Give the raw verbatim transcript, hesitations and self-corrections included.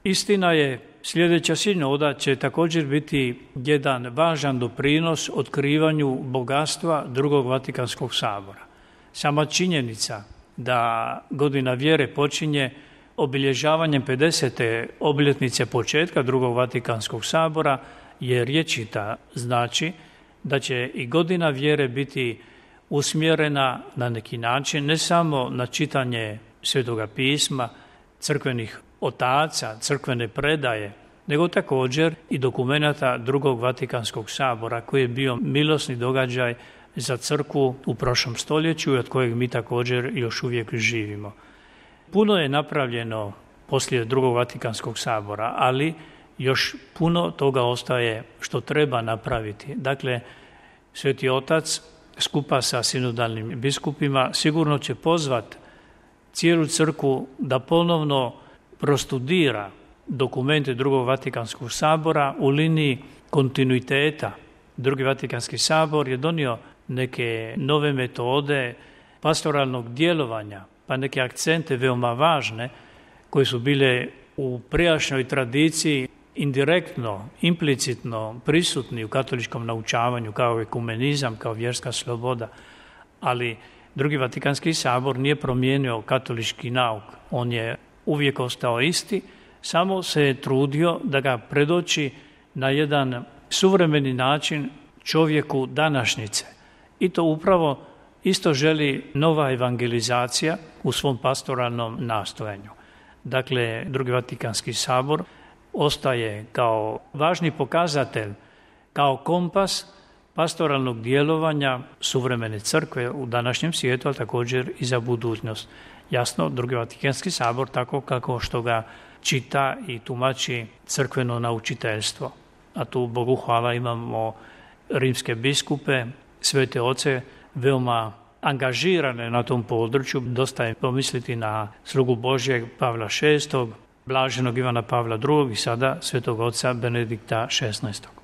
Istina je, sljedeća sinoda će također biti jedan važan doprinos otkrivanju bogatstva drugog Vatikanskog sabora. Sama činjenica da godina vjere počinje obilježavanjem pedesete obljetnice početka drugog Vatikanskog sabora je rječita, znači da će i godina vjere biti usmjerena na neki način ne samo na čitanje Svetoga pisma, crkvenih otaca, crkvene predaje, nego također i dokumenata drugog Vatikanskog sabora koji je bio milosni događaj za crkvu u prošlom stoljeću i od kojeg mi također još uvijek živimo. Puno je napravljeno poslije drugog Vatikanskog sabora, ali još puno toga ostaje što treba napraviti. Dakle, Sveti Otac skupa sa sinodalnim biskupima sigurno će pozvati cijelu crkvu da ponovno prostudira dokumente drugog Vatikanskog sabora u liniji kontinuiteta. Drugi Vatikanski sabor je donio neke nove metode pastoralnog djelovanja, pa neke akcente veoma važne koje su bile u prijašnjoj tradiciji indirektno, implicitno prisutni u katoličkom naučavanju kao ekumenizam, kao vjerska sloboda, ali Drugi Vatikanski sabor nije promijenio katolički nauk. On je uvijek ostao isti, samo se je trudio da ga predoči na jedan suvremeni način čovjeku današnjice. I to upravo isto želi nova evangelizacija u svom pastoralnom nastojanju. Dakle, Drugi Vatikanski sabor ostaje kao važni pokazatelj, kao kompas pastoralnog djelovanja suvremene crkve u današnjem svijetu, ali također i za budućnost. Jasno, Drugi Vatikanski sabor tako kako što ga čita i tumači crkveno naučiteljstvo. A tu, Bogu hvala, imamo rimske biskupe, svete oce, veoma angažirane na tom području. Dosta je pomisliti na slugu Božjeg Pavla šestog, blaženog Ivana Pavla drugog i sada svetog oca Benedikta šesnaestog.